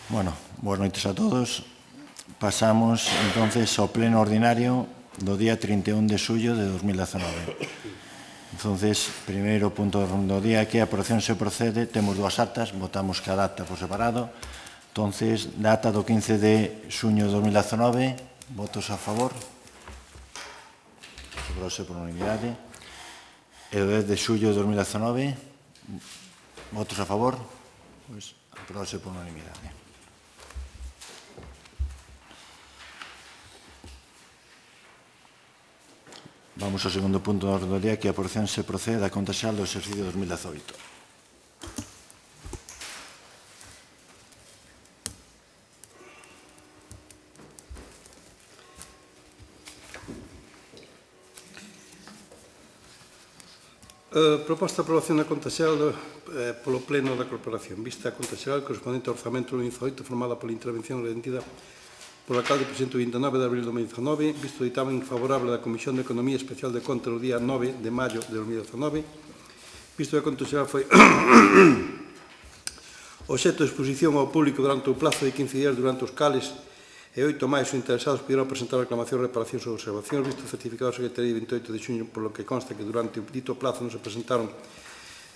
Bueno, boas noites a todos. Pasamos, entonces, ao pleno ordinario do día 31 de xullo de 2019. Entonces, primeiro punto do día é que a aprobación se procede. Temos dúas actas, votamos cada acta por separado. Entonces, da acta do 15 de xuño de 2019, votos a favor. Aprobouse por unanimidade. E do 10 de xullo de 2019, votos a favor. Pois, aprobouse por unanimidade. Vamos ao segundo punto do orde do día, que a aprobación se procede da conta xeral do exercicio 2018. Proposta de aprobación da conta xeral polo Pleno da Corporación. Vista a conta xeral correspondente ao orzamento do 2018 formada pola intervención rendida polo alcalde presidente o 29 de abril de 2019, visto o ditamen favorable da Comisión de Economía Especial de Contas o día 9 de maio de 2019, visto que a conta xeral foi obxecto de exposición ao público durante o plazo de 15 días durante os cales e 8 máis os interesados pudieron presentar reclamacións, reparacións ou observacións, visto certificado a Secretaría de 28 de xuño, por lo que consta que durante o dito plazo non se presentaron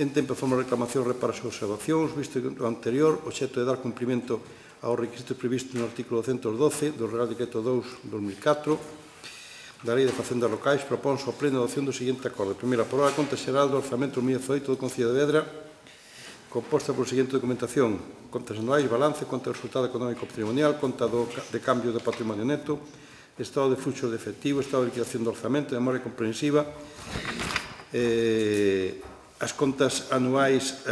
en tempo e forma reclamacións, reparacións ou observacións, visto que o anterior, obxecto de dar cumprimento aos requisitos previstos no artículo 212 do Real Decreto 2/2004 da Lei de Facendas Locais, proponse ao Pleno a adopción do seguinte acordo. Primeiro, aprobar a conta xeral do orzamento 2018 do Concello de Vedra, composta por seguinte documentación: contas anuais, balance, conta de resultado económico patrimonial, conta de cambio de patrimonio neto, estado de fluxos de efectivo, estado de liquidación do orzamento, memoria comprensiva. As contas anuais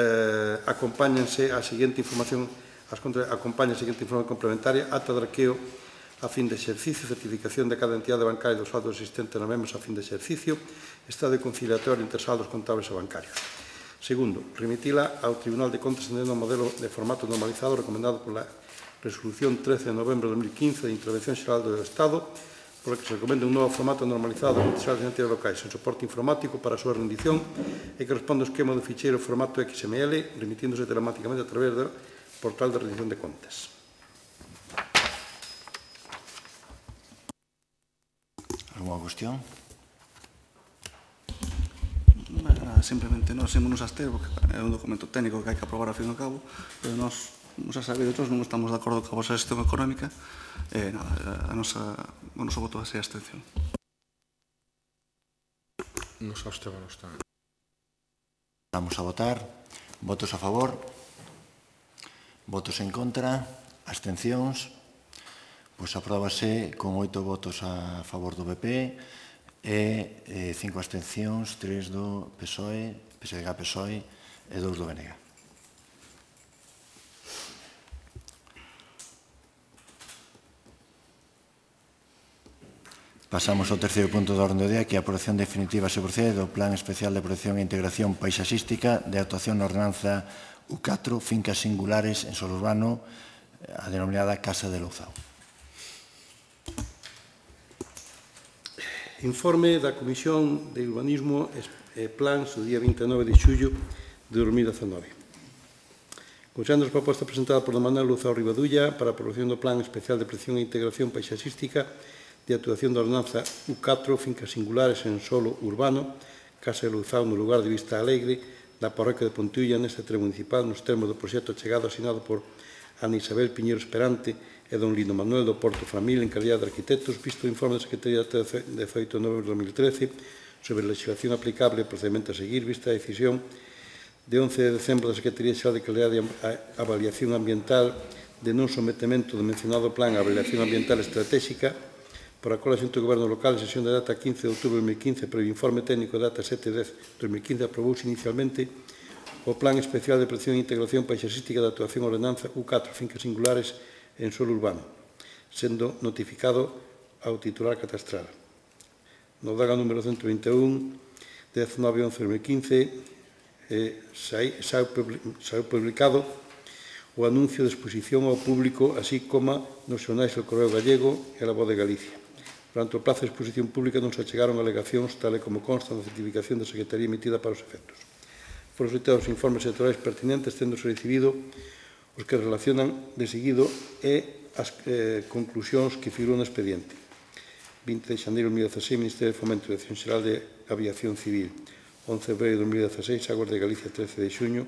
acompáñanse a seguinte información. As contas acompañan a seguinte información complementaria: acta de arqueo a fin de exercicio, certificación de cada entidade bancaria dos saldos existentes nas mesmas a fin de exercicio, estado de conciliatorio entre saldos contables e bancarios. Segundo, remitila ao Tribunal de Contas atendendo ao modelo de formato normalizado recomendado pola Resolución 13 de novembro de 2015 de Intervención Xeral do Estado, por que se recomenda un novo formato normalizado de contas xerais de entidades locais en soporte informático para a súa rendición e que responde ao esquema do ficheiro formato XML, remitíndose telemáticamente a través do portal de rendición de contas. Alguna cuestión? Simplemente nós ímonos a abster, porque é un documento técnico que hai que aprobar ao fin e ao cabo, pero nós, xa sabido, non estamos de acordo coa vosa xestión económica, e nada, o noso voto vai ser a abstención. Nos abstemos tamén. Vamos a votar. Votos a favor. Votos en contra. Abstencións. Pois apróbase con 8 votos a favor do PP e 5 abstencións, 3 do PSOE, PSDG-PSOE e 2 do BNG. Pasamos ao terceiro punto do orde do día, que é a aprobación definitiva se procede do Plan Especial de Protección e Integración Paisaxística de actuación na ordenanza U4, fincas singulares en solo urbano, a denominada Casa de Louzao. Informe da Comisión de Urbanismo e Plans do día 29 de xullo de 2019. Considerando a proposta presentada por Manuel Louzao Rivadulla para a aprobación do Plan Especial de Protección e Integración Paisaxística de actuación da ordenanza U4, fincas singulares en solo urbano, Casa de Louzao no lugar de Vista Alegre, da parroquia de Pontiulla, neste terreno municipal, nos termos do proxecto chegado asinado por Ana Isabel Piñeiro Esperante e don Lino Manuel do Porto Famil en calidad de arquitectos, visto o informe da Secretaría de 18 de novembro de 2013 sobre a legislación aplicable e procedimento a seguir, vista a decisión de 11 de decembro da Secretaría Xeral de Calidad de Avaliación Ambiental de non sometemento do mencionado plan a avaliación ambiental estratégica, por a cola xunta do Goberno Local, en sesión de data 15 de outubro de 2015, pero o informe técnico de data 7 de 2015 aprobouse inicialmente o Plan Especial de Protección e Integración Paisaxística de Actuación Ordenanza U4, fincas singulares en solo urbano, sendo notificado ao titular catastral. No daga número 121, 19/11/2015, saiu publicado o anuncio de exposición ao público, así como nos xornais do Correo Gallego e a La Voz de Galicia. Durante o plazo de exposición pública non se achegaron alegacións, tal e como consta na certificación da Secretaría emitida para os efectos. Foron solicitados os informes sectoriais pertinentes, tendose recibido os que relacionan de seguido e as conclusións que figuran no expediente. 20 de xaneiro de 2016, Ministerio de Fomento e Dirección Xeral de Aviación Civil. 11 de fevereiro de 2016, Aguas de Galicia, 13 de xuño,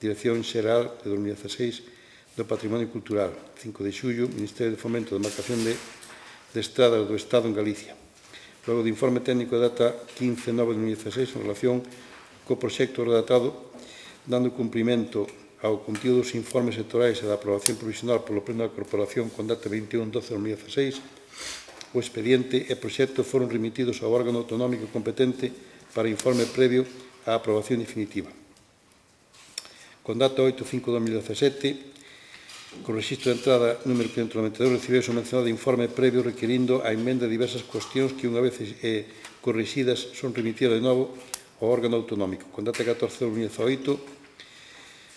Dirección Xeral de 2016 do Patrimonio Cultural. 5 de xullo, Ministerio de Fomento de Marcación de Estradas do Estado en Galicia. Logo de informe técnico de data 15/9/2016 en relación co proxecto redactado dando cumprimento ao contido dos informes sectorais e da aprobación provisional polo Pleno da Corporación con data 21/12/2016, o expediente e proxecto foron remitidos ao órgano autonómico competente para informe previo á aprobación definitiva. Con data 8/5/2017, con rexistro de entrada número 592, recibeuse o mencionado informe previo requirindo a emenda de diversas cuestións que, unha vez corrixidas, son remitidas de novo ao órgano autonómico. Con data 14/2018,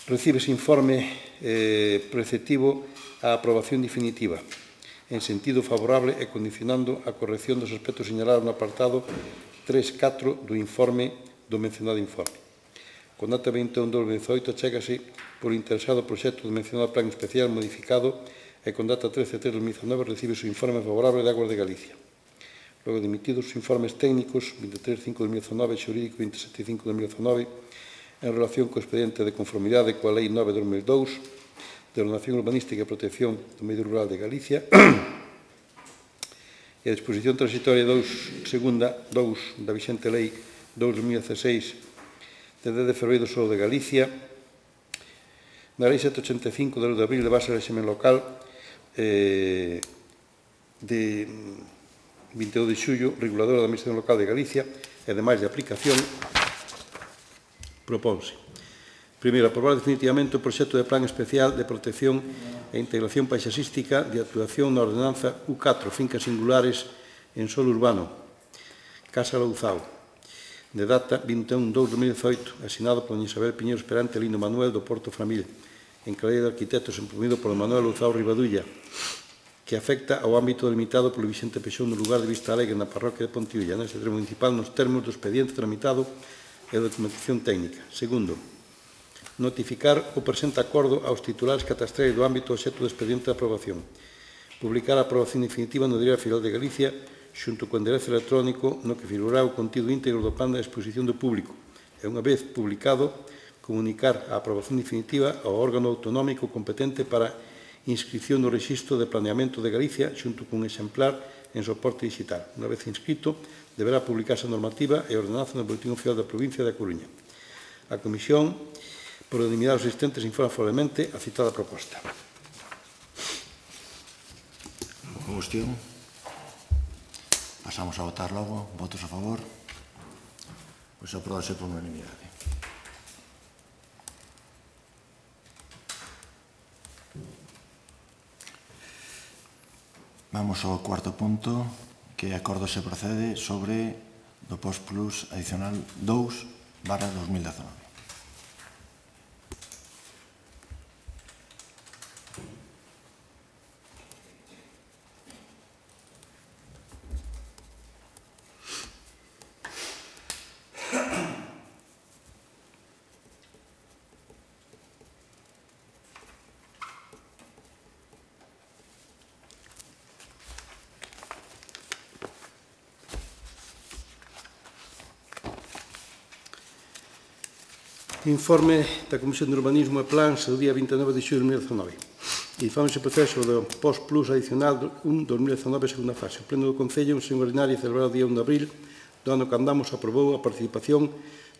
recibe ese informe preceptivo á aprobación definitiva, en sentido favorable e condicionando a corrección dos aspectos señalados no apartado 3.4 do informe do mencionado informe. Con data 21/2018 chégase por interesado proxecto do mencionado plan especial modificado e con data 13/3/2019 recibe o informe favorable de Aguas de Galicia. Logo de emitidos os informes técnicos 23/5/2019 e xurídico 27/5/2019 en relación co expediente de conformidade coa Lei 9/2002 de Ordenación Urbanística e Protección do Medio Rural de Galicia e a disposición transitoria 2 da vixente Lei 2/2016 de 10 de febreiro do Solo de Galicia, na Lei 785 de 2 de abril de base de régimen local de 22 de xullo, reguladora da Administración Local de Galicia e demais de aplicación, propónse. Primeiro, aprobar definitivamente o proxecto de Plan Especial de Protección e Integración Paisaxística de actuación na Ordenanza U4, fincas singulares en solo urbano, Casa Louzao, de data 21/2/2018, asinado por Isabel Piñeiro Esperante e Lino Manuel do Porto Framil, en calidad de arquitectos promovido por Manuel Louzao Rivadulla, que afecta ao ámbito delimitado polo Vicente Peixón no lugar de Vista Alegre na parroquia de Pontiulla, neste termo municipal, nos termos do expediente tramitado e da documentación técnica. Segundo, notificar o presente acordo aos titulares catastrais do ámbito obxecto do expediente de aprobación. Publicar a aprobación definitiva no Diario Oficial de Galicia xunto co enderezo electrónico no que figurará o contido íntegro do plan de exposición do público e, unha vez publicado, comunicar a aprobación definitiva ao órgano autonómico competente para inscripción no Rexistro de Planeamento de Galicia xunto cun exemplar en soporte digital. Unha vez inscrito, deberá publicarse a normativa e ordenanza no Boletín Oficial da Provincia da Coruña. A Comisión, por unanimidade dos asistentes, informa favorablemente a citada proposta. Cuestión. Pasamos a votar logo. Votos a favor. Pois apróbase por unanimidade. Vamos ao cuarto punto, que acordo se procede sobre do Post Plus adicional 2/2019. Informe da Comisión de Urbanismo e Plans do día 29 de xullo de 2019. Informe se proceso do Post Plus adicional 1/2019, segunda fase. O Pleno do Concello, en sesión ordinaria celebrado o día 1 de abril do ano que andamos, aprobou a participación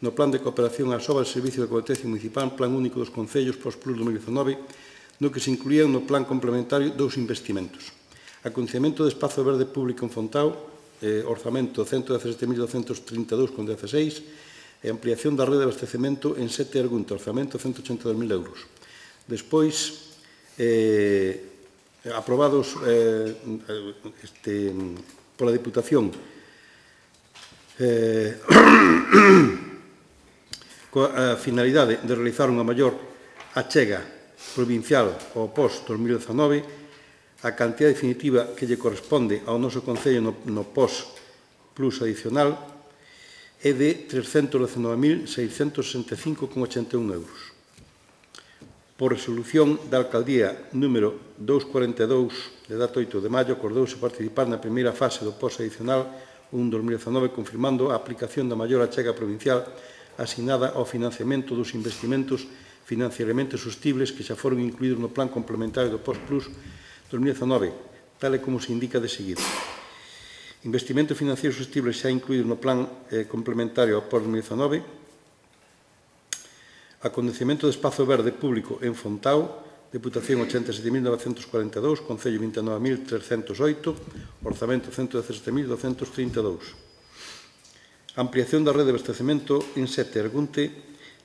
no Plan de Cooperación ás Obras de Servicio de Competencia Municipal, Plan Único dos Concellos Post Plus 2019, no que se incluían no Plan Complementario dous investimentos. Acondicionamento de espazo verde público en Fontao, orzamento 117.232,16, e ampliación da rede de abastecemento en 7 Argunta, orzamento 182.000 euros. Despois, aprobados pola Diputación coa finalidade de realizar unha maior achega provincial ao POS 2019, a cantidad definitiva que lle corresponde ao noso Concello no POS Plus adicional é de 319.665,81 euros. Por resolución da Alcaldía número 242 de data 8 de maio, acordouse participar na primeira fase do POS adicional 1-2019, confirmando a aplicación da maior achega provincial asignada ao financiamento dos investimentos financieramente sostibles que xa foron incluídos no Plan Complementario do POS Plus 2019, tal e como se indica de seguido. Investimento financiero sostible xa incluído no Plan Complementario ao POS 2019, Acontecemento de espazo verde público en Fontao, Deputación 87.942, Concello 29.308, Orzamento 117.232. Ampliación da rede de abastecemento en Sete Argunte,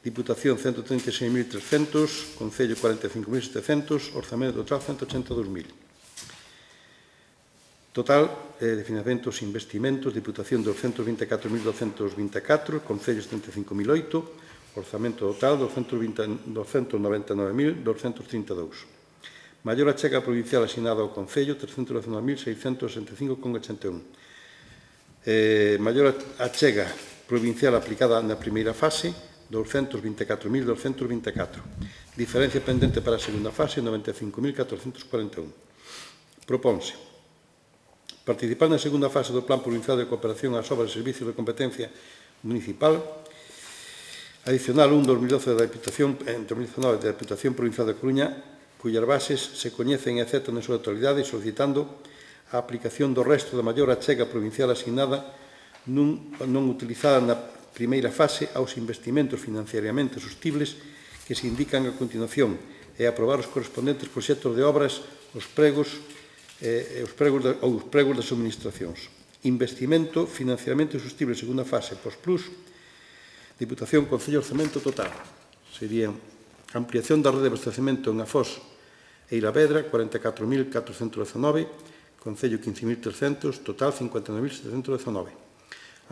Diputación 136.300, Concello 45.700, Orzamento total 182.000. Total de financiamentos e investimentos, Diputación 224.224, Concello 75.008, Orzamento total 299.232. Maior achega provincial asignada ao Concello 319.665,81. Maior achega provincial aplicada na primeira fase 224.224. Diferencia pendente para a segunda fase 95.441. Proponse participar na segunda fase do Plan Provincial de Cooperación ás obras e servicios de competencia municipal adicional 1-2012 da Diputación Provincial da Coruña, cuyas bases se coñecen e aceptan na súa totalidade, solicitando a aplicación do resto da maior achega provincial asignada non utilizada na primeira fase aos investimentos financiariamente sostibles que se indican a continuación e aprobar os correspondentes proxectos de obras, os pregos das administracións. Investimento financiariamente sostible segunda fase, POS Plus, Diputación, Concello, Orzamento total. Serían ampliación da rede de abastecemento en Afós e Ilavedra, 44.419, Concello 15.300, total 59.719.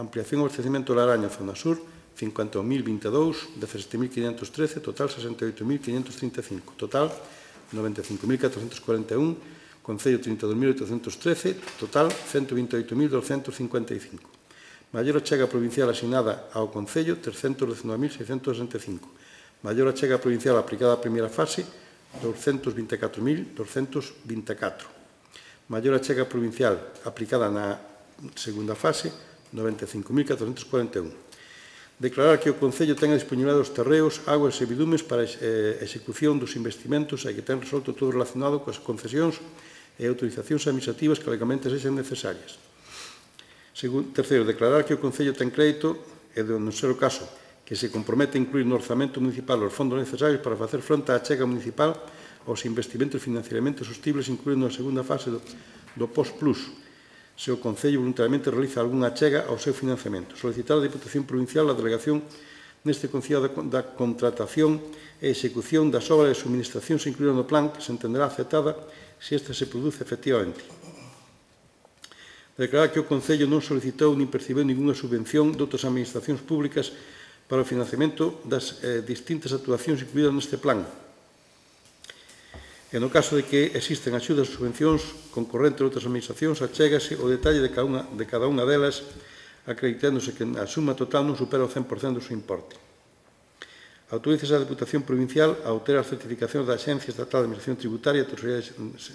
Ampliación do abastecemento de Laraña, Zona Sur, 51.022, 17.513, total 68.535. Total 95.441, Concello 32.813, total 128.255. Maior achega provincial asignada ao Concello, 319.665. Maior achega provincial aplicada á primeira fase, 224.224. Maior achega provincial aplicada na segunda fase, 95.441. Declarar que o Concello ten a disponibilidade dos terreos, aguas e bidumes para a execución dos investimentos e que ten resolto todo relacionado coas concesións e autorizacións administrativas que legalmente sexan necesarias. Terceiro, declarar que o Concello ten crédito e, de non ser o caso, que se compromete a incluir no orzamento municipal os fondos necesarios para facer fronte á achega municipal aos investimentos financieramente sostibles incluídos na segunda fase do POS Plus, se o Concello voluntariamente realiza algunha achega ao seu financiamento. Solicitar a Diputación Provincial a delegación neste Concello da contratación e execución das obras de subministracións incluídas no plan que se entenderá aceptada se esta se produce efectivamente. Declarar que o Concello non solicitou nin percibiu ningunha subvención de outras administracións públicas para o financiamento das distintas actuacións incluídas neste plan. E no caso de que existen axudas ou subvencións concorrentes de outras administracións, achégase o detalle de cada unha delas, acreditándose que a suma total non supera o 100% do seu importe. Autorízase a Diputación Provincial a obter as certificacións da Axencia Estatal de Administración Tributaria e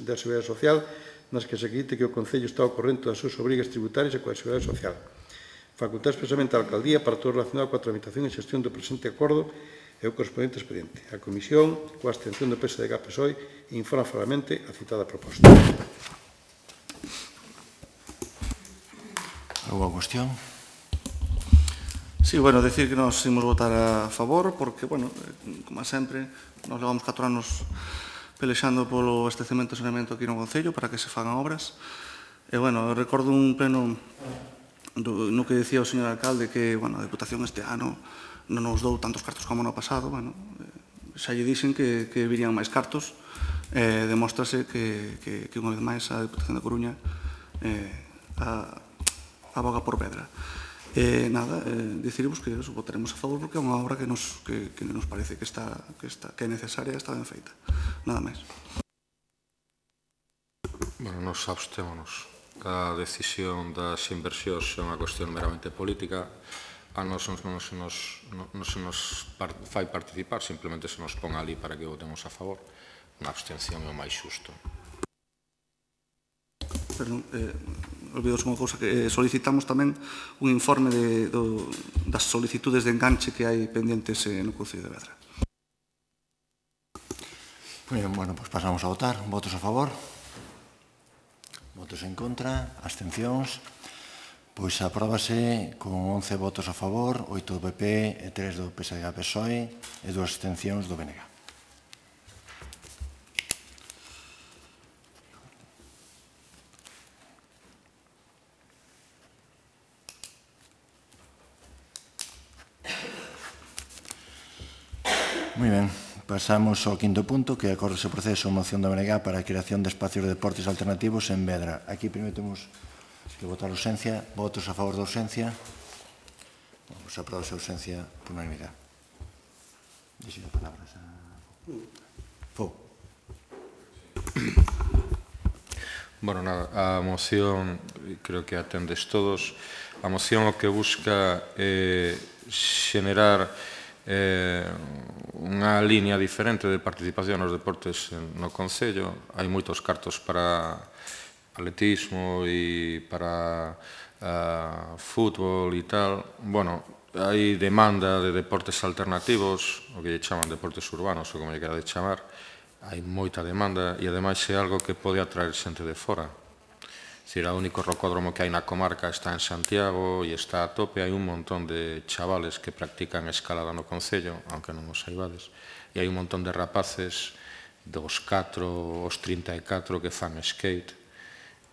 da Seguridade Social nas que se acredite que o Concello está ao corrente das súas obrigas tributarias e coa Seguridade Social. Facultar expresamente a Alcaldía para todo relacionado coa tramitación e xestión do presente acordo e o correspondente expediente. A Comisión, coa abstención do PSDG-PSOE, informa favorablemente a citada proposta. Alguna cuestión? Sí, bueno, decir que nos imos votar a favor porque, bueno, como sempre, nos levamos 4 anos pelexando polo abastecemento e saneamento aquí no Concello para que se fagan obras. E, bueno, recordo un pleno no que decía o señor alcalde que, bueno, a Deputación este ano non nos dou tantos cartos como no pasado, bueno, xa lle dixen que virían máis cartos, demóstrase que unha vez máis a Deputación da Coruña aboga por pedra. Nada, dicirvos que votaremos a favor porque é unha obra que nos parece que é necesaria e está ben feita. Nada máis. Bueno, nos abstémonos. A decisión das inversións é unha cuestión meramente política. A nos non se nos fai participar, simplemente se nos pon ali para que votemos a favor. Unha abstención é o máis xusto. Perdón, olvidouse unha cousa que solicitamos tamén un informe das solicitudes de enganche que hai pendientes no Concello de Vedra. Bueno, pues pasamos a votar. Votos a favor? Votos en contra? Abstencións? Pois apróbase con 11 votos a favor, 8 do PP e 3 do PSDG-PSOE e 2 abstencións do BNG. Moi ben, pasamos ao quinto punto, que acorda o proceso de moción da BNG para a creación de espacios de deportes alternativos en Vedra. Aquí primeiro temos que votar a urxencia. Votos a favor da urxencia? Vamos a aprobar a urxencia por unanimidade. Deixe as palabras a Fou. Bueno, nada, a moción, creo que atendes todos, a moción o que busca é xenerar unha liña diferente de participación nos deportes no Concello. Hai moitos cartos para atletismo e para fútbol e tal. Bueno, hai demanda de deportes alternativos, o que lle chaman deportes urbanos, ou como lle querades chamar. Hai moita demanda e, ademais, é algo que pode atraer xente de fora. É dicir, o único rocódromo que hai na comarca está en Santiago e está a tope. Hai un montón de chavales que practican escalada no Concello, aunque non os saibades, e hai un montón de rapaces dos 4 aos 34 que fan skate.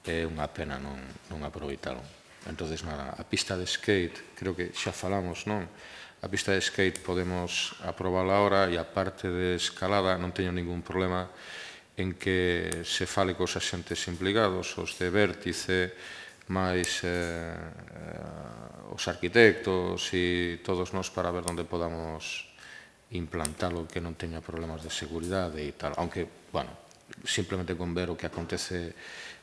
É unha pena non aproveitaron. Entón, nada, a pista de skate, creo que xa falamos, non? A pista de skate podemos aprovala ahora e a parte de escalada non teño ningún problema en que se fale cos axentes implicados, os de vértice, máis os arquitectos e todos nós para ver onde podamos implantalo que non teña problemas de seguridade e tal. Aunque, bueno, simplemente con ver o que acontece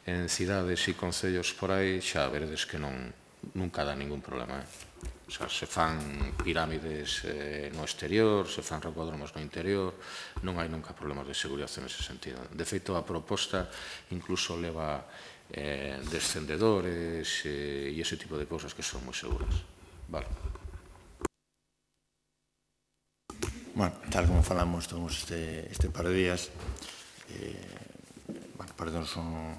en cidades e concellos por aí, xa veredes que nunca dá ningún problema. O sea, se fan pirámides no exterior, se fan rocódromos no interior, non hai nunca problemas de seguridade nese sentido. De feito, a proposta incluso leva descendedores e ese tipo de cousas que son moi seguras. Vale. Bueno, tal como falamos todos este par de días, parecernos unha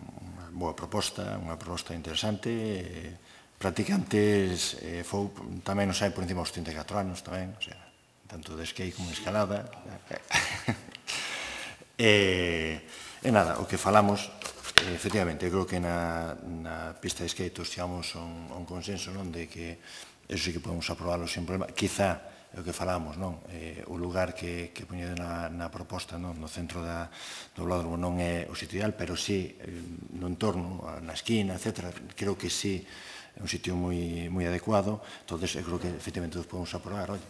boa proposta, unha proposta interesante. Practicantes tamén nos hai por encima dos 34 anos tamén, o sea, tanto de skate como de escalada. E nada, o que falamos, efectivamente, creo que na pista de skate chegamos a un consenso, non, de que eso sí que podemos aprobarlo sin problema. Quizá é o que falamos, non? O lugar que poñedo na proposta, non? No centro do velódromo non é o sitio ideal, pero sí no entorno, na esquina, etc. Creo que sí é un sitio moi adecuado. Entón, eu creo que efectivamente nos podemos aprobar. Oye,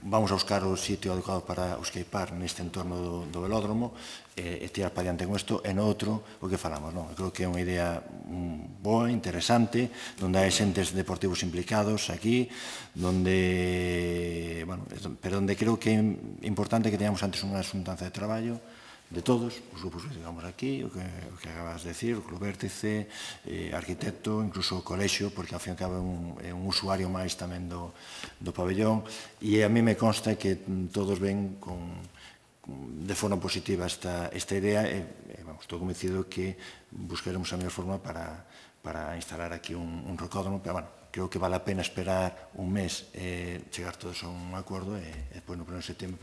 vamos a buscar o sitio adecuado para o skatepark neste entorno do velódromo e tirar para diante con isto. E no outro, o que falamos, non? Eu creo que é unha idea boa, interesante, onde hai xentes deportivos implicados aquí, pero onde creo que é importante que teñamos antes unha xuntanza de traballo de todos os grupos que digamos aquí, o que acabas de decir, o Club Vértice, arquitecto, incluso o colexio, porque ao fin e ao cabo é un usuario máis tamén do pabellón, e a mí me consta que todos ven de forma positiva esta idea e estou convencido que buscaremos a mellor forma para instalar aquí un rocódromo, pero, bueno, creo que vale a pena esperar un mes e chegar todos a un acordo e depois no 1 de setembro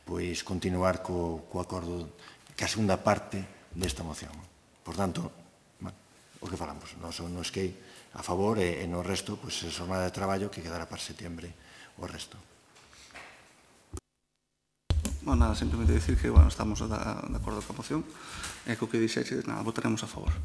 pois continuar co acordo, que a segunda parte desta moción. Por tanto, o que falamos, non es que a favor e no resto, pois, é jornada de traballo que quedará para setembro o resto. Bueno, nada, simplemente dicir que, bueno, estamos de acordo coa moción e co que dixeches, nada, votaremos a favor.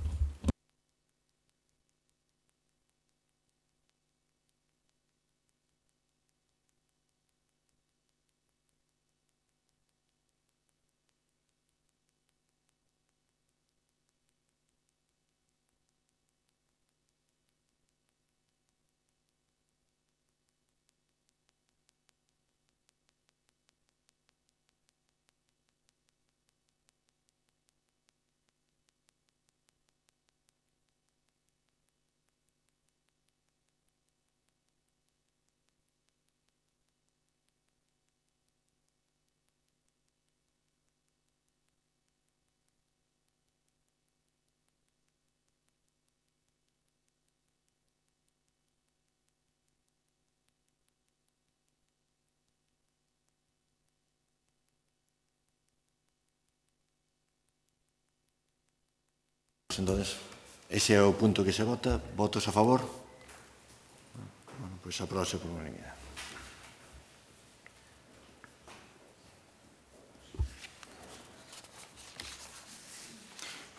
entonces, ese é o punto que se vota. Votos a favor? Bueno, pois aprobase por unanimidade.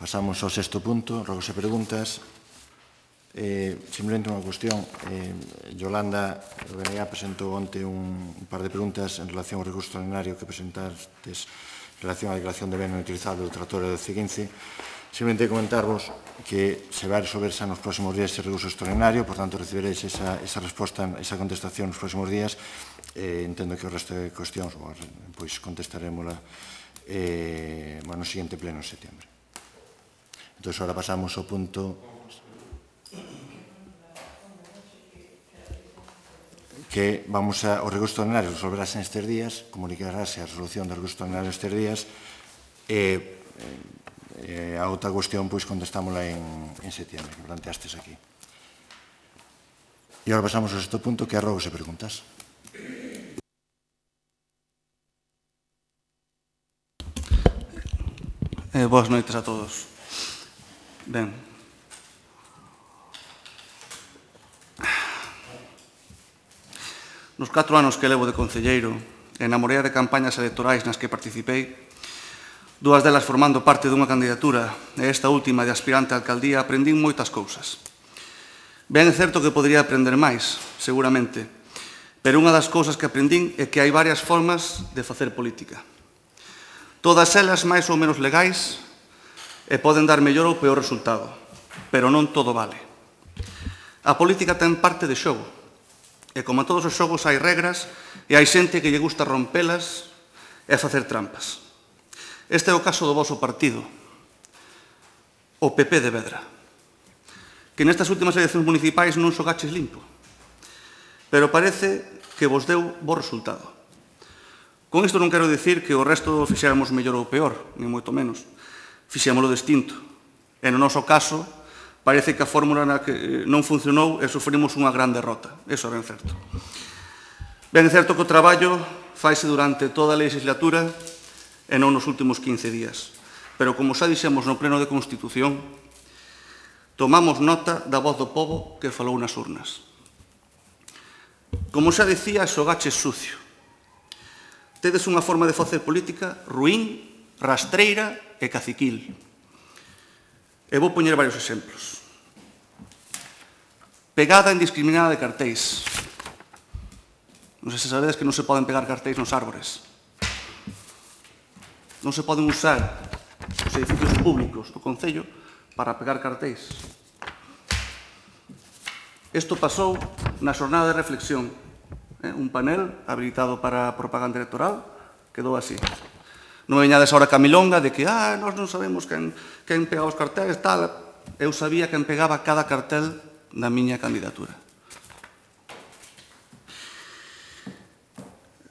Pasamos ao sexto punto, rogos e preguntas. Simplemente unha cuestión. Yolanda Benegá presentou onte un par de preguntas en relación ao recurso extraordinario que presentastes en relación á declaración de ben non utilizado do tractor do C15. Simplemente comentarvos que se vai resolverse nos próximos días ese recurso extraordinario, por tanto recibiréis esa resposta, esa contestación nos próximos días. Entendo que o resto de cuestións pois contestarémola no seguinte pleno en setembro. Entón, agora pasamos ao punto que vamos ao recurso extraordinario, resolverase nestes días, comunicarase a resolución do recurso extraordinario nestes días, e a outra cuestión, pois, contestámola en setembro, que planteastes aquí. E agora pasamos ao sexto punto, que é rogos e preguntas. Boas noites a todos. Ben, nos 4 anos que levo de concelleiro e na morea de campañas electorais nas que participei, 2 delas formando parte dunha candidatura e esta última de aspirante á alcaldía, aprendín moitas cousas. Ben é certo que podría aprender máis, seguramente, pero unha das cousas que aprendín é que hai varias formas de facer política. Todas elas máis ou menos legais e poden dar mellor ou peor resultado, pero non todo vale. A política ten parte de xogo, e como en todos os xogos hai regras e hai xente que lle gusta rompelas e facer trampas. Este é o caso do voso partido, o PP de Vedra, que nestas últimas eleccións municipais non xogaches limpo, pero parece que vos deu bo resultado. Con isto non quero dicir que o resto fixéramos mellor ou peor, ni moito menos. Fixémolo distinto. E no noso caso, parece que a fórmula na que non funcionou e sufrimos unha gran derrota. Eso é ben certo. Ben é certo que o traballo faise durante toda a legislatura e non nos últimos 15 días. Pero, como xa dixemos no pleno de Constitución, tomamos nota da voz do pobo que falou nas urnas. Como xa dicía, xogaches sucio. Tedes unha forma de facer política ruín, rastreira e caciquil. E vou poñer varios exemplos. Pegada indiscriminada de cartéis. Non sei se sabedes que non se poden pegar cartéis nos árbores. Non se poden usar os edificios públicos do Concello para pegar cartéis. Isto pasou na xornada de reflexión. Un panel habilitado para propaganda electoral quedou así. Non veñades ahora camilonga de que nós non sabemos quen pegaba os cartéis, tal. Eu sabía quen pegaba cada cartel da miña candidatura.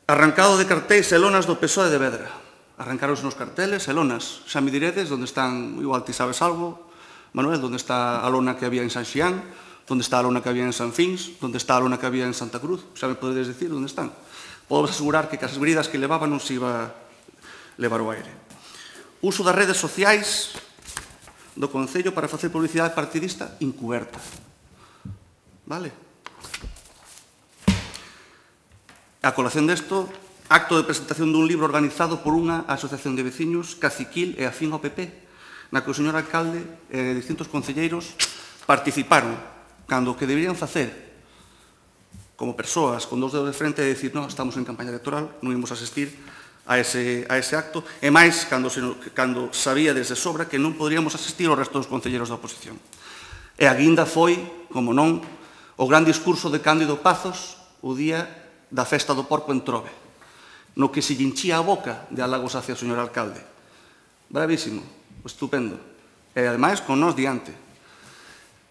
Arrancado de cartéis e lonas do PSOE de Vedra. Arrancaronse nos carteles e lonas. Xa me diredes onde están, igual ti sabes algo, Manuel, onde está a lona que había en San Xián, onde está a lona que había en San Fins, onde está a lona que había en Santa Cruz. Xa me podedes dicir onde están. Podo asegurar que as bridas que levaban non se iba levar o aire. Uso das redes sociais do Concello para facer publicidade partidista encuberta. Vale? A colación desto, acto de presentación dun libro organizado por unha asociación de veciños caciquil e afín ao PP, na que o señor alcalde e distintos concelleiros participaron cando o que deberían facer como persoas con 2 dedos de frente é dicir, non, estamos en campaña electoral, non imos asistir a ese acto, e máis cando sabía desde sobra que non poderíamos asistir ao resto dos concelleiros da oposición. E a guinda foi, como non, o gran discurso de Cándido Pazos o día da festa do porco en Trobe, no que se lle hinchía a boca de halagos hacia o señor alcalde. Bravísimo, estupendo. E, ademais, con nós diante.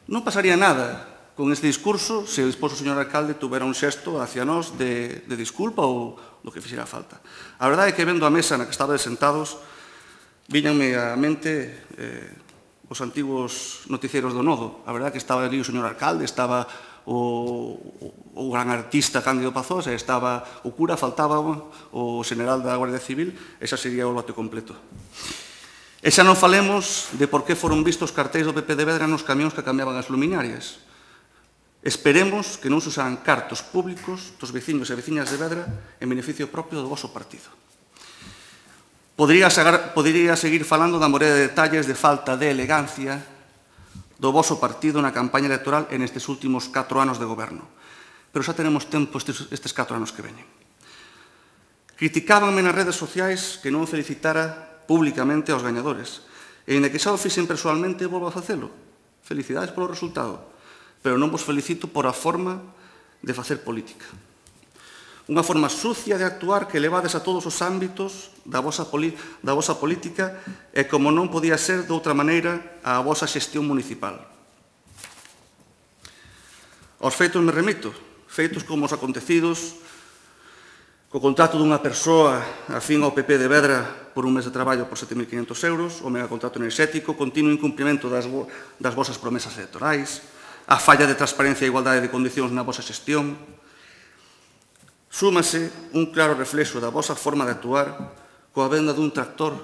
Non pasaría nada con este discurso se despois o señor alcalde tuvera un xesto hacia nós de disculpa ou do que fixera falta. A verdade é que vendo a mesa na que estabades sentados, viñanme á mente os antigos noticieros do Nodo. A verdade é que estaba ali o señor alcalde, estaba o gran artista Cándido Pazos, e estaba o cura, faltaba o general da Guardia Civil, e xa sería o lote completo. E xa non falemos de por que foron vistos cartéis do PP de Vedra nos camións que cambiaban as luminarias. Esperemos que non se usaran cartos públicos dos veciños e veciñas de Vedra en beneficio propio do voso partido. Podería seguir falando da morea de detalles de falta de elegancia do voso partido na campaña electoral en estes últimos 4 anos de goberno. Pero xa tenemos tempo estes 4 anos que veñen. Criticábanme nas redes sociais que non felicitara públicamente aos gañadores. E ainda que xa o fixen persoalmente, volvo a facelo. Felicidades polo resultado. Pero non vos felicito por a forma de facer política. Unha forma sucia de actuar que levades a todos os ámbitos da vosa política e, como non podía ser de outra maneira, a vosa xestión municipal. Aos feitos me remito, feitos como os acontecidos co contrato dunha persoa afín ao PP de Vedra por un mes de traballo por 7.500 euros, o megacontrato enerxético, continuo incumprimento das vosas promesas electorais, a falla de transparencia e igualdade de condicións na vosa xestión. Súmase un claro reflexo da vosa forma de actuar coa venda dun tractor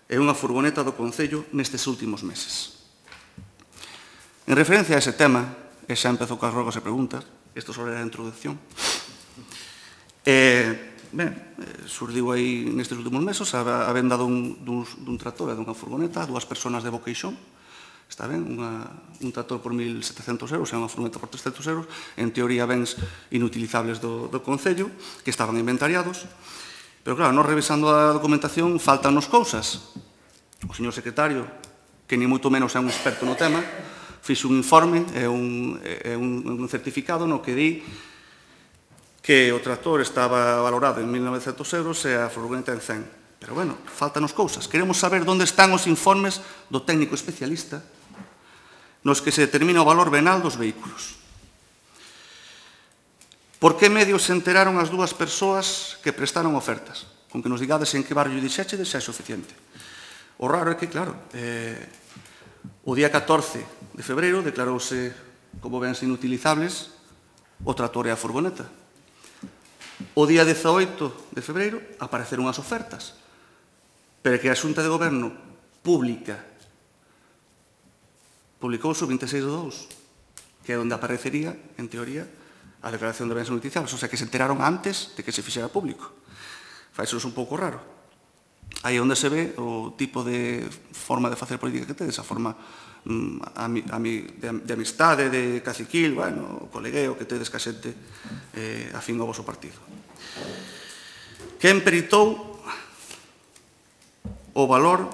e unha furgoneta do Concello nestes últimos meses. En referencia a ese tema, e xa empezou coas rogas e preguntas, isto sobre a introducción, surdiu aí nestes últimos meses a venda dun tractor e dunha furgoneta a 2 persoas de Boqueixón. Está ben, un tractor por 1.700 euros e unha furgoneta por 300 euros, en teoría bens inutilizables do Concello, que estaban inventariados. Pero claro, nós revisando a documentación, faltannos cousas. O señor secretario, que ni moito menos é un experto no tema, fixe un informe e un certificado no que di que o tractor estaba valorado en 1.900 euros e a furgoneta en 100. Pero, bueno, faltanos cousas. Queremos saber onde están os informes do técnico especialista nos que se determina o valor venal dos vehículos. Por que medios se enteraron as 2 persoas que prestaron ofertas? Con que nos digades en que barrio dixéchedes xa é suficiente. O raro é que, claro, o día 14 de febreiro declarouse como bens inutilizables o tractor e a furgoneta. O día 18 de febreiro apareceron as ofertas, pero que a Xunta de Goberno publicouse o 26 de 2, que é onde aparecería, en teoría, a declaración de bens inutilizables, o sea, que se enteraron antes de que se fixera público. Faixos un pouco raro. Aí onde se ve o tipo de forma de facer política que tedes, a forma de amistade, de caciquil, bueno, o colegueo que tedes ca xente afín ao voso partido. Quen peritou o valor,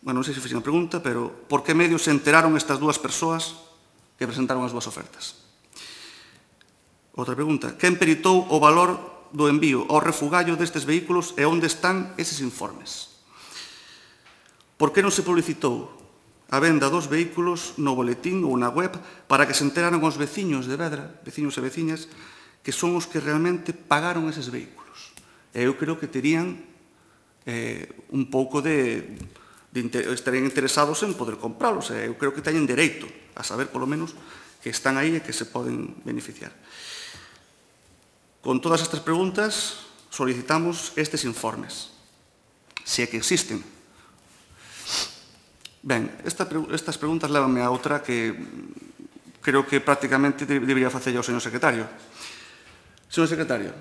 bueno, non sei se fixen a pregunta, pero por que medios se enteraron estas 2 persoas que presentaron as 2 ofertas? Outra pregunta, quen peritou o valor do envío ao refugallo destes vehículos e onde están eses informes? Por que non se publicitou a venda dos vehículos no boletín ou na web para que se enteraran os veciños de Vedra, veciños e veciñas, que son os que realmente pagaron eses vehículos? E eu creo que terían un pouco estarían interesados en poder compralos. Eu creo que teñen dereito a saber, polo menos, que están aí e que se poden beneficiar. Con todas estas preguntas, solicitamos estes informes, se é que existen. Ben, estas preguntas levanme a outra que creo que prácticamente debería facella o señor secretario. Señor secretario,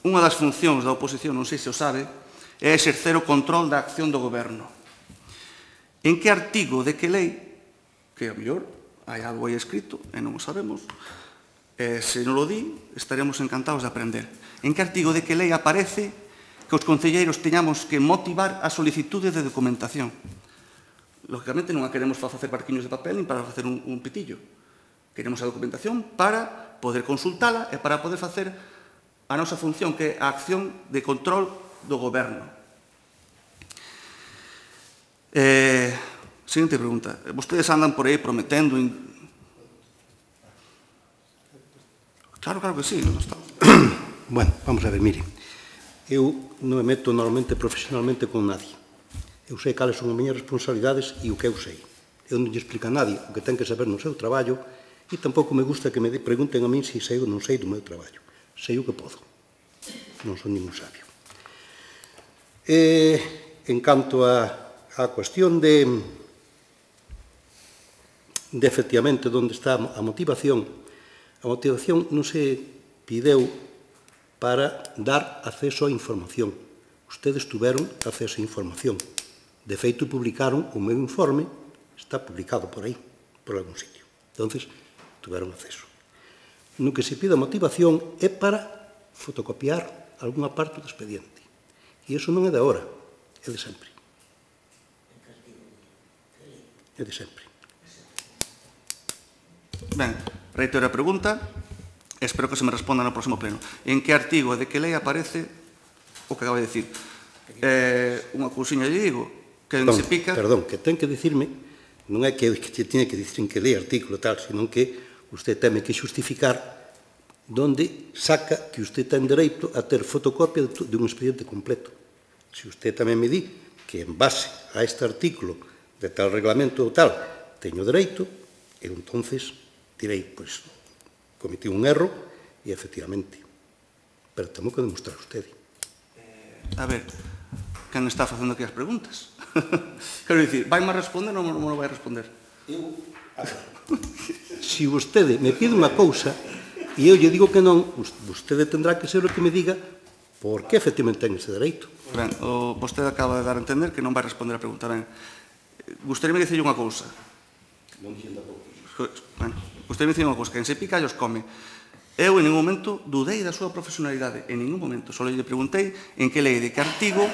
unha das funcións da oposición, non sei se o sabe, é exercer o control da acción do goberno. En que artigo de que lei, que a mellor hai algo aí escrito e non o sabemos, se non o di, estaremos encantados de aprender. En que artigo de que lei aparece que os concelleiros teñamos que motivar a solicitude de documentación? Lógicamente non a queremos para facer barquiños de papel nin para facer un pitillo. Queremos a documentación para poder consultala e para poder facer a nosa función, que é a acción de control do goberno. Seguinte pregunta. Vostedes andan por aí prometendo... Claro que sí. Bueno, vamos a ver, mire. Eu non me meto normalmente profesionalmente con nadie. Eu sei cales son as miñas responsabilidades e o que eu sei. Eu non lle explico a nadie o que ten que saber no seu traballo e tampouco me gusta que me pregunten a min se sei ou non sei do meu traballo. Sei o que podo. Non son ningún sabio. En canto a a cuestión de efectivamente onde está a motivación non se pideu para dar acceso á información. Ustedes tuveron acceso á información. De feito, publicaron o meu informe, está publicado por aí, por algún sitio. Entonces, tuveron acceso. No que se pide a motivación é para fotocopiar algunha parte do expediente. E iso non é de agora, é de sempre. É de sempre. Ben, reitero a pregunta, espero que se me responda no próximo pleno. En que artigo de que lei aparece o que acabo de dicir? Unha cousiña lle digo, que se pica... Perdón, que ten que dicirme, non é que te tiene que dicir en que lei artículo tal, senón que usted teme que xustificar donde saca que usted ten dereito a ter fotocopia de un expediente completo. Se usted tamén me di que en base a este artículo de tal reglamento ou tal teño dereito, eu entonces direi, pois, cometí un erro e efectivamente. Pero temo que demostrar usted. A ver, quen está facendo aquí as preguntas? Quero dicir, vai má responder ou non me vai responder? Se vostede me pide unha cousa e eu lle digo que non, vostede tendrá que ser o que me diga por que efectivamente ten ese dereito. Ben, vostede acaba de dar a entender que non vai responder a pregunta. Ben, gustaríame dicirlle unha cousa. Non dixen tampouco. Bueno, gustaríame dicirlle unha cousa, que en se pica os come. Eu en ningún momento dudei da súa profesionalidade, en ningún momento. Só lle preguntei en que lei de que artigo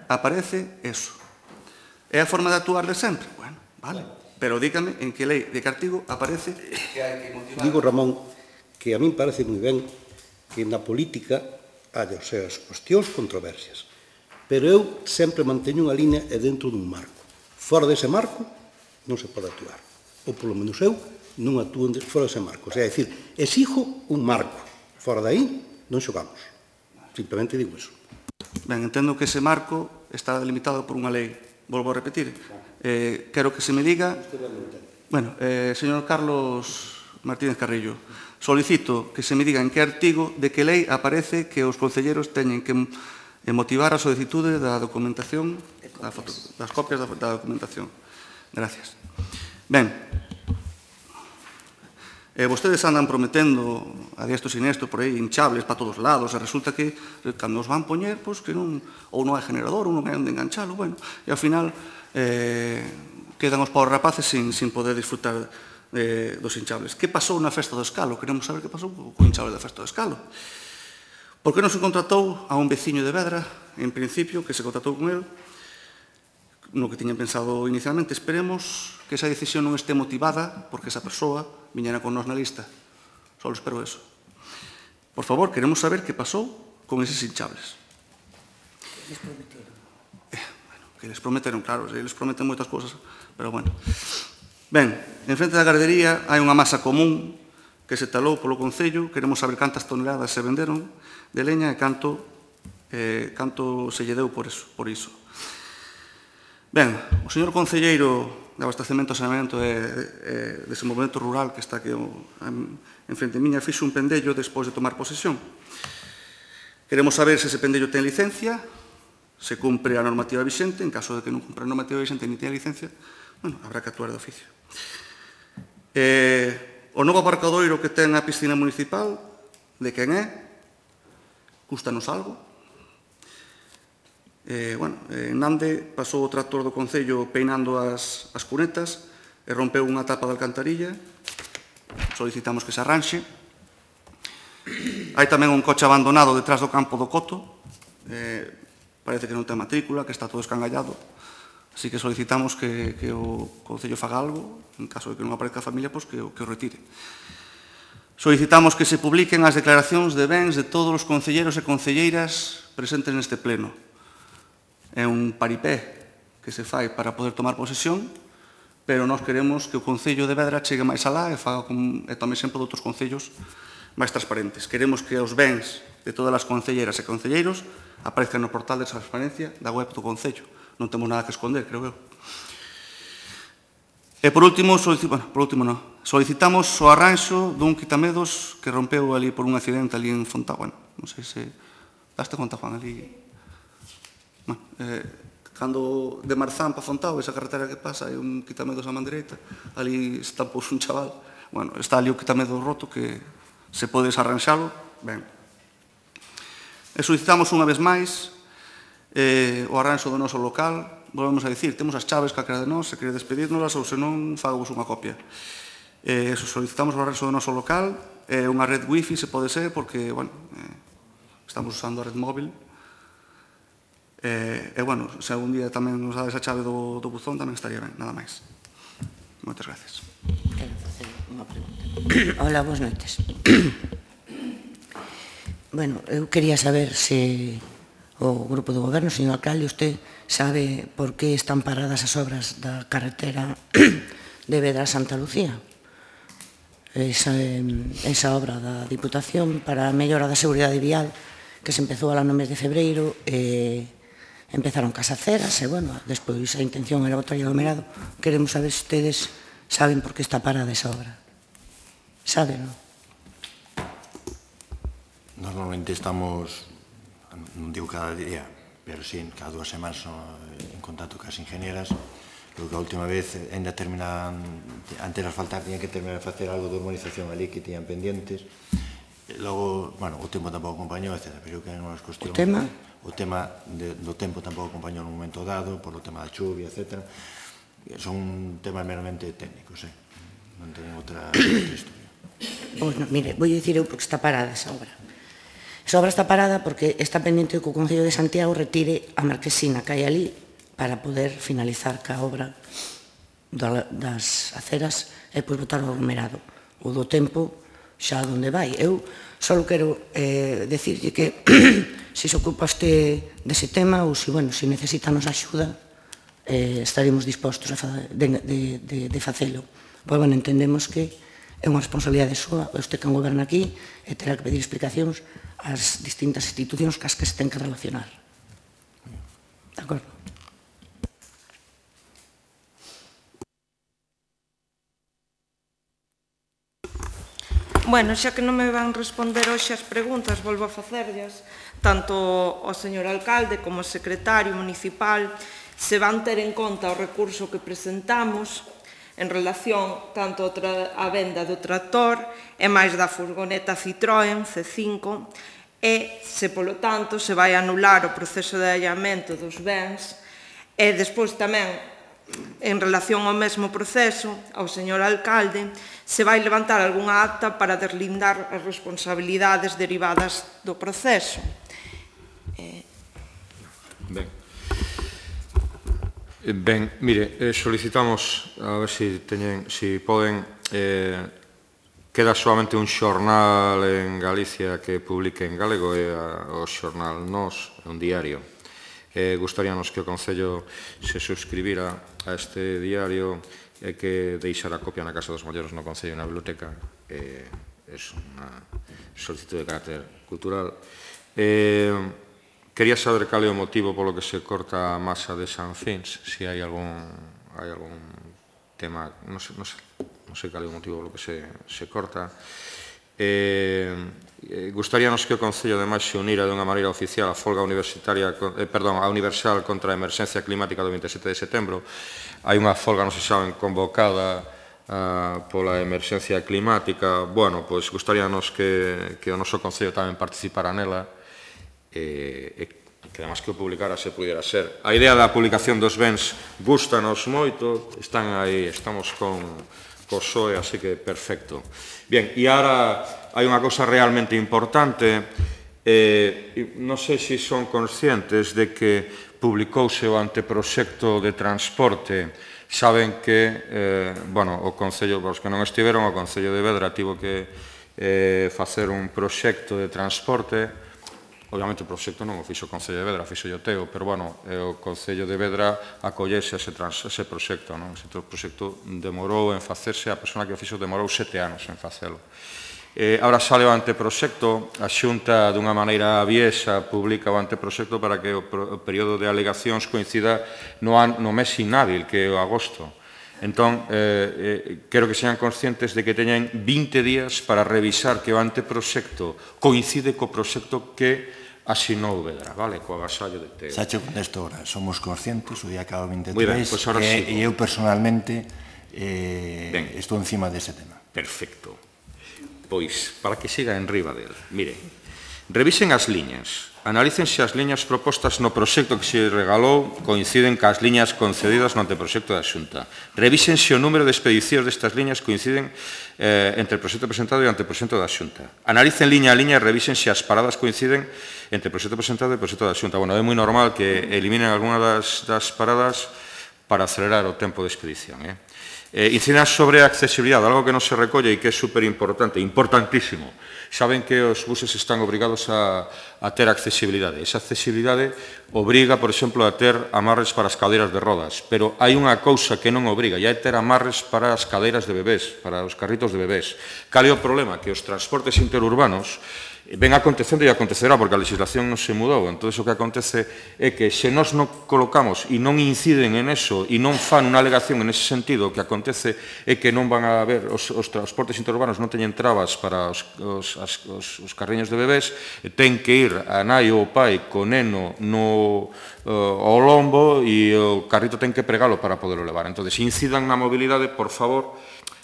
aparece eso. É a forma de actuar de sempre? Bueno, vale. Pero dígame en que lei de que artigo aparece que hai que motivar... Digo, Ramón, que a min parece moi ben que na política haya as seas cuestións controversias. Pero eu sempre manteño unha línea e dentro dun marco. Fora dese marco non se pode actuar. Ou polo menos eu non actúo fora dese marco. O sea, é dicir, exijo un marco. Fora de aí non xogamos. Simplemente digo eso. Ben, entendo que ese marco está delimitado por unha lei. Volvo a repetir. Quero que se me diga... Bueno, señor Carlos Martínez Carrillo, solicito que se me diga en que artigo de que lei aparece que os concelleros teñen que motivar a solicitude da documentación, das copias da documentación. Gracias. Ben, vostedes andan prometendo a diestro e sinestro por aí hinchables para todos lados e resulta que cando os van poñer, pois que non, ou non hai generador ou non hai onde enganchalo, bueno, e ao final quedan os pobres rapaces sin poder disfrutar dos hinchables. Que pasou na festa do Escalo? Queremos saber que pasou co hinchable da festa do Escalo. Por que non se contratou a un veciño de Vedra, en principio, que se contratou con el, no que tiñan pensado inicialmente? Esperemos que esa decisión non este motivada porque esa persoa viñera con nos na lista. Só espero eso. Por favor, queremos saber que pasou con eses hinchables. Que les prometeron? Bueno, que les prometeron, claro, eles prometen moitas cousas, pero bueno. Ben, en frente da gardería hai unha masa común que se talou polo Concello. Queremos saber cantas toneladas se venderon de leña e canto se lle deu por iso. Ben, o señor concelleiro de Abastecemento e Saneamento e Desenvolvemento Rural, que está aquí en frente miña, fixo un pendello despois de tomar posesión. Queremos saber se ese pendello ten licencia, se cumpre a normativa vixente. En caso de que non cumpra a normativa vixente ni ten licencia, bueno, habrá que actuar de oficio. O novo aparcadoiro que ten a piscina municipal, de quen é? Cústanos algo? Bueno, en Nande pasou o tractor do Concello peinando as cunetas e rompeu unha tapa de alcantarilla. Solicitamos que se arranxe. Hai tamén un coche abandonado detrás do campo do Coto. Parece que non ten matrícula, que está todo escangallado. Así que solicitamos que o Concello faga algo, en caso de que non aparezca a familia, pois que o retire. Solicitamos que se publiquen as declaracións de bens de todos os concelleiros e concelleiras presentes neste pleno. É un paripé que se fai para poder tomar posesión, pero nós queremos que o Concello de Vedra chegue máis alá e tome exemplo de outros concellos máis transparentes. Queremos que os bens de todas as concelleiras e concelleiros aparezcan no portal de transparencia da web do Concello. Non temos nada que esconder, creo eu. E por último, solicitamos o arranxo dun quitamedos que rompeu ali por un accidente ali en Fontá. Bueno, non sei se... Daste conta, Juan, ali... Cando de Marzán para Fontao, esa carretera que pasa, hai un quitamedos a man dereita, ali está pois un chaval, bueno, está ali o quitamedos roto que se podes arranxalo, ben. E solicitamos unha vez máis o arranxo do noso local, volvemos a dicir, temos as chaves calquera de nós, se quere despedirnoslas ou se non, fagos unha copia. Solicitamos o arranxo do noso local, unha red wifi se pode ser, porque, bueno, estamos usando a red móvil. E, bueno, se algún día tamén nos dades a chave do buzón, tamén estaría ben, nada máis. Moitas gracias. Quero facer unha pregunta. Hola, boas noites. Bueno, eu quería saber se o grupo do goberno, señor alcalde, usted sabe por que están paradas as obras da carretera de Vedra a Santa Lucía. Esa obra da Diputación para a mellora da seguridade vial que se empezou no mes de febreiro e empezaron cas aceras e, bueno, despois a intención era botar aglomerado. Queremos saber se ustedes saben por que está parada esa obra. Saben, non? Normalmente estamos, non digo cada día, pero sí, cada 2 semanas en contacto cas ingenieras. Creo que a última vez ainda terminan, antes de asfaltar, tenían que terminar de facer algo de urbanización ali que tenían pendientes. Logo, bueno, o tempo tampouco acompañou, etc. Pero que non é cuestión... O tema? O tema do tempo tampouco acompañou nun momento dado, por o tema da chuvia, etc. Son temas meramente técnicos, non teñen outra historia. Pois non, mire, vou dicir eu porque está parada esa obra. Esa obra está parada porque está pendiente que o Concello de Santiago retire a marquesina que hai ali para poder finalizar ca obra das aceras e pois botar o aglomerado. O do tempo xa onde vai. Eu só quero decirlle que se se ocupa este dese tema ou se, bueno, se necesita nos axuda, estaremos dispostos de facelo. Pois, bueno, entendemos que é unha responsabilidade súa, este que goberna aquí, e terá que pedir explicacións ás distintas institucións cas que se ten que relacionar. De acordo? Bueno, xa que non me van responder hoxe as preguntas, volvo a facerllas, tanto ao señor alcalde como ao secretario municipal, se van ter en conta o recurso que presentamos en relación tanto á venda do tractor e máis da furgoneta Citroën C5 e se, polo tanto, se vai anular o proceso de allamento dos bens e despois tamén en relación ao mesmo proceso, ao señor alcalde, se vai levantar algunha acta para deslindar as responsabilidades derivadas do proceso. Ben, mire, solicitamos, a ver se poden, queda solamente un xornal en Galicia que publique en galego, e o xornal Nós, un diario. Gustaríanos que o Concello se suscribira a este diario e que deixara copia na Casa dos Molleros no Concello e na biblioteca. É unha solicitud de carácter cultural. Quería saber cal é o motivo polo que se corta a masa de San Fins, se hai algún tema, non sei cal é o motivo polo que se corta. Gustaríanos que o Concello ademais se unira de unha maneira oficial a folga universal contra a emerxencia climática do 27 de setembro. Hai unha folga, non se saben, convocada pola emerxencia climática. Bueno, pois gustaríanos que o noso Concello tamén participara nela e que además que o publicara se pudera ser. A idea da publicación dos bens gustanos moito, están aí, estamos con co PSOE, así que perfecto. Bien, e agora hai unha cousa realmente importante, non sei se son conscientes de que publicouse o anteproxecto de transporte. Saben que, bueno, o Concello, os que non estiveron, o Concello de Vedra tivo que facer un proxecto de transporte. Obviamente o proxecto non o fixo o Concello de Vedra, fixo o teo, pero, bueno, o Concello de Vedra acollese a ese proxecto, non? Ese proxecto demorou en facerse, a persona que o fixo demorou 7 anos en facelo. Agora sale o anteproxecto, a Xunta, dunha maneira aviesa, publica o anteproxecto para que o período de alegacións coincida no mes inhábil, que é o agosto. Entón, quero que sean conscientes de que teñen 20 días para revisar que o anteproxecto coincide co proxecto que asinou Vedra, vale, co agasallo de Teo. Xa che contesto ahora, somos conscientes, o día acaba 23, Moi ben, pois ahora sí. e eu personalmente estou encima dese tema. Perfecto. Pois, para que siga en riba del. Mire, revisen as liñas. Analícense as liñas propostas no proxecto que se regalou coinciden cas liñas concedidas no anteproxecto da Xunta. Revísense o número de expedicións destas liñas coinciden entre o proxecto presentado e o anteproxecto da Xunta. Analicen liña a liña e revísense as paradas coinciden entre o proxecto presentado e o proxecto da Xunta. Bueno, é moi normal que eliminen alguna das paradas para acelerar o tempo de expedición. Incidan sobre a accesibilidade, algo que non se recolle e que é superimportante, importantísimo. Saben que os buses están obrigados a ter accesibilidade. Esa accesibilidade obriga, por exemplo, a ter amarres para as cadeiras de rodas, pero hai unha cousa que non obriga, e é ter amarres para as cadeiras de bebés, para os carritos de bebés. Cal é o problema? Que os transportes interurbanos ven acontecendo e acontecerá, porque a legislación non se mudou. Entón, o que acontece é que se nós non colocamos e non inciden en eso e non fan unha alegación en ese sentido, o que acontece é que non van a haber, os transportes interurbanos non teñen trabas para os carriños de bebés, ten que ir a nai ou o pai co neno ao lombo e o carrito ten que pregalo para poderlo levar. Entón, incidan na mobilidade, por favor.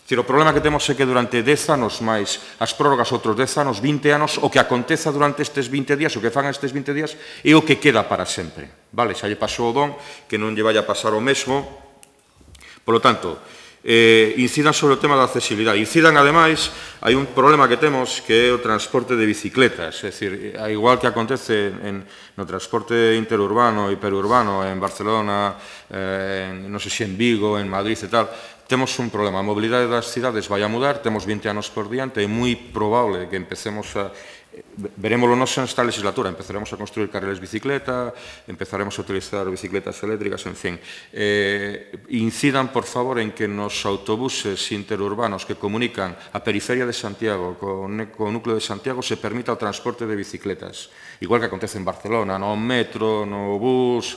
O problema que temos é que durante 10 anos máis as prórrogas outros 10 anos, 20 anos, o que aconteza durante estes 20 días, o que fan estes 20 días, é o que queda para sempre. Vale, xa lle pasou o don, que non lle vai a pasar o mesmo. Por lo tanto, incidan sobre o tema da accesibilidade. Incidan, ademais, hai un problema que temos que é o transporte de bicicletas. É dicir, igual que acontece no transporte interurbano e perurbano en Barcelona, non sei se en Vigo, en Madrid e tal, temos un problema. A mobilidade das cidades vai a mudar, temos 20 anos por diante, é moi probable que empecemos a... Verémoslo nos nesta legislatura, empezaremos a construir carriles bicicleta, empezaremos a utilizar bicicletas eléctricas, en fin. Incidan, por favor, en que nos autobuses interurbanos que comunican a periferia de Santiago co núcleo de Santiago se permita o transporte de bicicletas. Igual que acontece en Barcelona, no metro, no bus,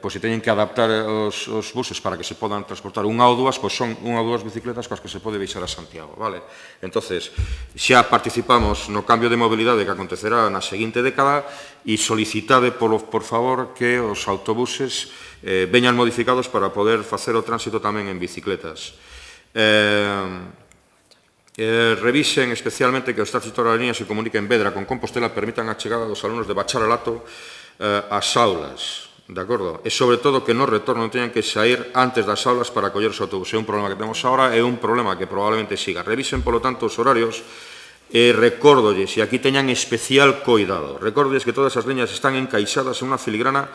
pois se teñen que adaptar os buses para que se podan transportar unha ou dúas, pois son unha ou dúas bicicletas coas que se pode baixar a Santiago, vale? Entonces, xa participamos no cambio de mobilidade que acontecerá na seguinte década e solicitade, por favor, que os autobuses veñan modificados para poder facer o tránsito tamén en bicicletas. Revisen especialmente que os tránsito da línea se comunique en Vedra con Compostela permitan a chegada dos alumnos de bacharelato ás aulas, de acordo? E sobre todo que no retorno teñan que sair antes das aulas para coller os autobuses. É un problema que temos agora, é un problema que probablemente siga. Revisen, polo tanto, os horarios. Recórdolles, e aquí teñan especial coidado, recórdolles que todas as liñas están encaixadas en unha filigrana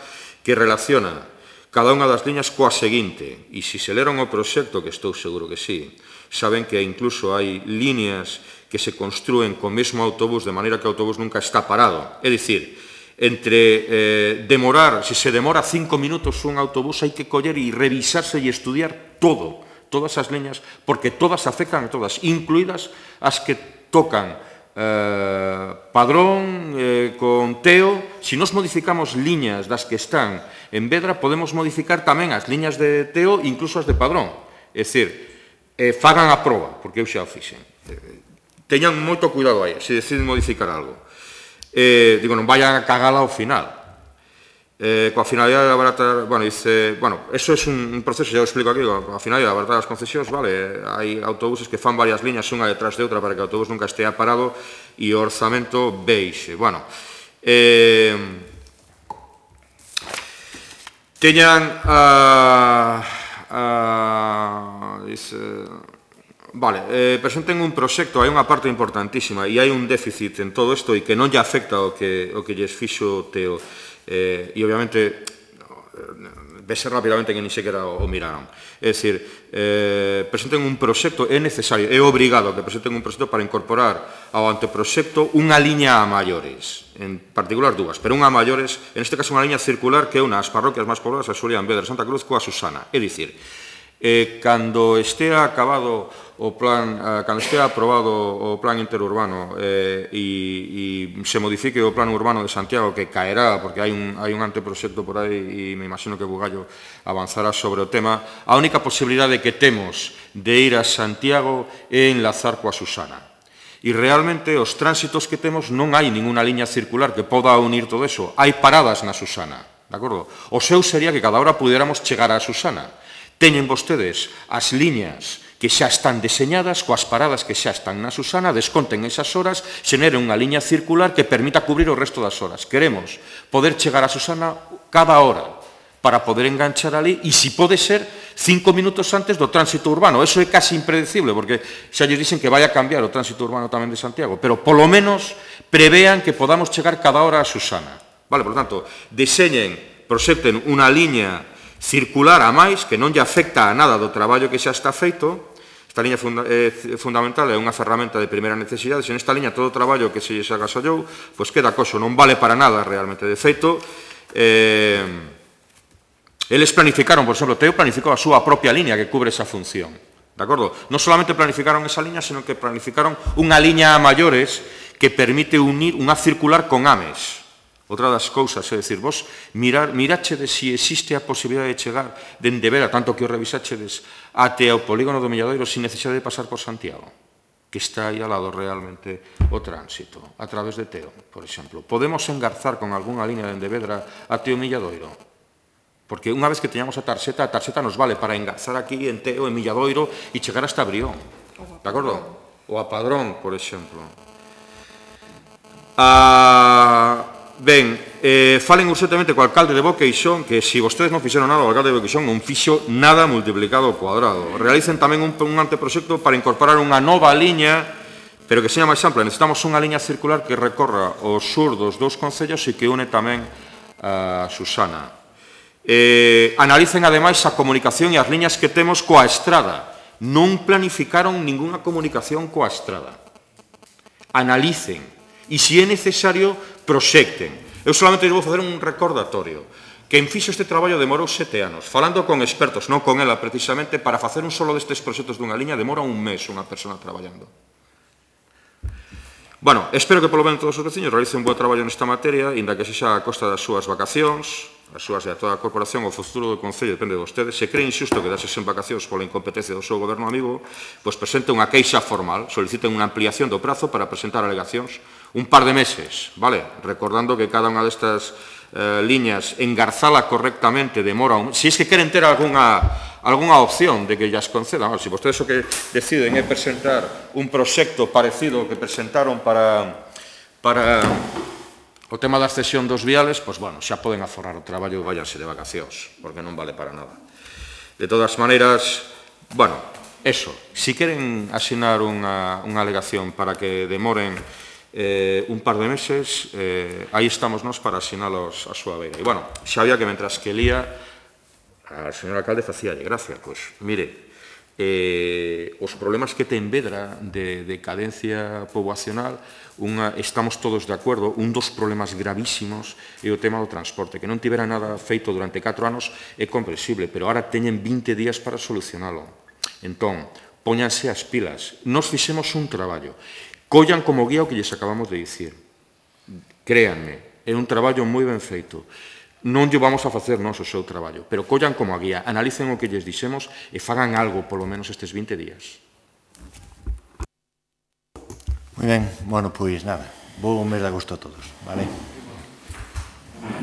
que relaciona cada unha das liñas coa seguinte, e se leron o proxecto, que estou seguro que sí, saben que incluso hai líneas que se construen co mesmo autobús, de maneira que o autobús nunca está parado. É dicir, entre demorar, se se demora 5 minutos un autobús, hai que coller e revisarse e estudiar todas as liñas, porque todas afectan a todas, incluídas as que tocan Padrón con Teo. Se nos modificamos liñas das que están en Vedra, podemos modificar tamén as liñas de Teo, incluso as de Padrón. É dicir, fagan a proba, porque eu xa o fixen. Teñan moito cuidado aí, se deciden modificar algo. Digo, non vayan a cagala ao final. Coa finalidade de abaratar, eso é un proceso, xa o explico aquí, coa finalidade de abaratar as concesións, vale, hai autobuses que fan varias liñas unha detrás de outra para que o autobús nunca estea parado e o orzamento beixe. Bueno, teñan presenten un proxecto, hai unha parte importantísima e hai un déficit en todo isto e que non lle afecta o que lles fixo Teo. E obviamente vese rapidamente que ni sequera o miraron. É dicir, presenten un proxecto, é necesario, é obrigado que presenten un proxecto para incorporar ao anteproxecto unha liña a maiores, en particular dúas, pero unha a maiores, en este caso unha liña circular que é unha das parroquias máis pobladas, a Xulián, Vedra, Santa Cruz, coa Susana. É dicir, cando estea acabado o plan, cando estea aprobado o plan interurbano e se modifique o plan urbano de Santiago, que caerá porque hai un anteproxecto por aí e me imagino que Bugallo avanzará sobre o tema, a única posibilidade que temos de ir a Santiago é enlazar coa Susana. E realmente os tránsitos que temos non hai ninguna liña circular que poda unir todo eso. Hai paradas na Susana, de acordo? O seu sería que cada hora pudiéramos chegar á Susana. Teñen vostedes as liñas que xa están deseñadas, coas paradas que xa están na Susana, desconten esas horas, xeneren unha liña circular que permita cubrir o resto das horas. Queremos poder chegar á Susana cada hora para poder enganchar ali e, se pode ser, 5 minutos antes do tránsito urbano. Eso é casi impredecible, porque xa lles dixen que vai a cambiar o tránsito urbano tamén de Santiago, pero polo menos prevean que podamos chegar cada hora a Susana. Vale, por tanto, deseñen, proxecten unha liña circular a máis que non lle afecta a nada do traballo que xa está feito. Esta liña fundamental é unha ferramenta de primeira necesidade. Se nesta liña todo o traballo que se lles agasallou, pois queda coso, non vale para nada realmente. De feito, eles planificaron, por exemplo, Teo planificou a súa propia liña que cubre esa función. De acordo? Non solamente planificaron esa liña, senón que planificaron unha liña a maiores que permite unir unha circular con Ames. Outra das cousas, é dicir, vos mirachedes se existe a posibilidade de chegar dende Vera, tanto que o revisachedes, até ao polígono do Milladoiro sin necesidade de pasar por Santiago, que está aí ao lado realmente o tránsito, a través de Teo, por exemplo. Podemos engarzar con algunha liña dende Vedra até o Milladoiro. Porque unha vez que teñamos a tarxeta nos vale para engarzar aquí en Teo, en Milladoiro, e chegar hasta Brión. De acordo? Ou a Padrón, por exemplo. Ben, falen urgentemente co alcalde de Boqueixón, que se vostedes non fixeron nada, o alcalde de Boqueixón non fixo nada multiplicado ao cuadrado. Realicen tamén un anteproxecto para incorporar unha nova liña, pero que seña máis ampla. Necesitamos unha liña circular que recorra o sur dos dous concellos e que une tamén a Susana. Analicen ademais a comunicación e as liñas que temos coa estrada. Non planificaron ninguna comunicación coa estrada. Analicen e, se é necesario, proxecten. Eu solamente vou facer un recordatorio. Quen fixo este traballo demorou 7 anos. Falando con expertos, non con ela precisamente, para facer un solo destes proxectos dunha liña demora un mes unha persona traballando. Bueno, espero que polo menos todos os veciños realicen un bo traballo nesta materia, inda que sexa a costa das súas vacacións, as súas de toda a corporación. O futuro do Concello depende de vostedes. Se cree injusto quedarse sen vacacións pola incompetencia do seu goberno amigo, pois presente unha queixa formal, soliciten unha ampliación do prazo para presentar alegacións un par de meses, vale? Recordando que cada unha destas liñas, engarzala correctamente, demora si es que queren ter algunha opción de que llas concedan. Se vostedes o que deciden é presentar un proxecto parecido que presentaron para o tema da cesión dos viales, pois, bueno, xa poden aforrar o traballo e váyanse de vacacións, porque non vale para nada. De todas maneiras, bueno, eso, si queren asinar unha alegación para que demoren un par de meses, aí estamos nós para asinalos a súa beira. E, bueno, xa había que, mentras que lía, a señor alcalde facíalle gracia, pois, mire, os problemas que ten Vedra de decadencia poboacional, estamos todos de acordo, un dos problemas gravísimos é o tema do transporte, que non tivera nada feito durante 4 anos é comprensible, pero ahora teñen 20 días para solucionalo. Entón, póñanse as pilas. Nos fixemos un traballo. Collan como guía o que lles acabamos de dicir. Créanme, é un traballo moi ben feito. Non lle vamos a facer nós o seu traballo, pero collan como a guía, analicen o que lles dixemos e fagan algo, polo menos estes 20 días. Moi ben, bueno, pois nada, vou un mes de agosto a todos, vale?